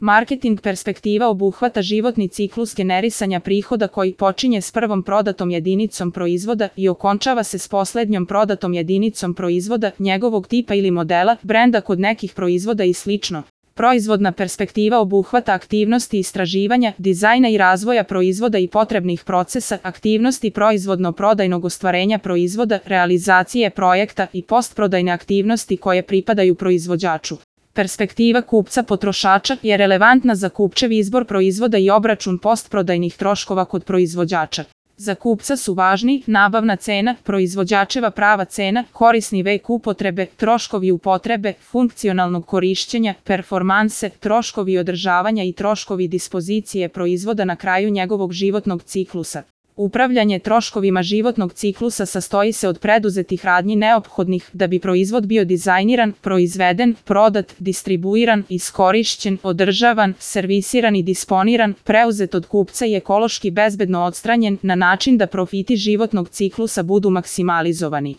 Marketing perspektiva obuhvata životni ciklus generisanja prihoda koji počinje s prvom prodatom jedinicom proizvoda i okončava se s poslednjom prodatom jedinicom proizvoda, njegovog tipa ili modela, brenda kod nekih proizvoda i sl. Proizvodna perspektiva obuhvata aktivnosti istraživanja, dizajna i razvoja proizvoda i potrebnih procesa, aktivnosti proizvodno-prodajnog ostvarenja proizvoda, realizacije projekta i postprodajne aktivnosti koje pripadaju proizvođaču. Perspektiva kupca potrošača je relevantna za kupčev izbor proizvoda i obračun postprodajnih troškova kod proizvođača. Za kupca su važni nabavna cena, proizvođačeva prava cena, korisni vek upotrebe, troškovi upotrebe, funkcionalnog korišćenja, performanse, troškovi održavanja i troškovi dispozicije proizvoda na kraju njegovog životnog ciklusa. Upravljanje troškovima životnog ciklusa sastoji se od preduzetih radnji neophodnih da bi proizvod bio dizajniran, proizveden, prodat, distribuiran, iskorišćen, održavan, servisiran i disponiran, preuzet od kupca i ekološki bezbedno odstranjen na način da profiti životnog ciklusa budu maksimalizovani.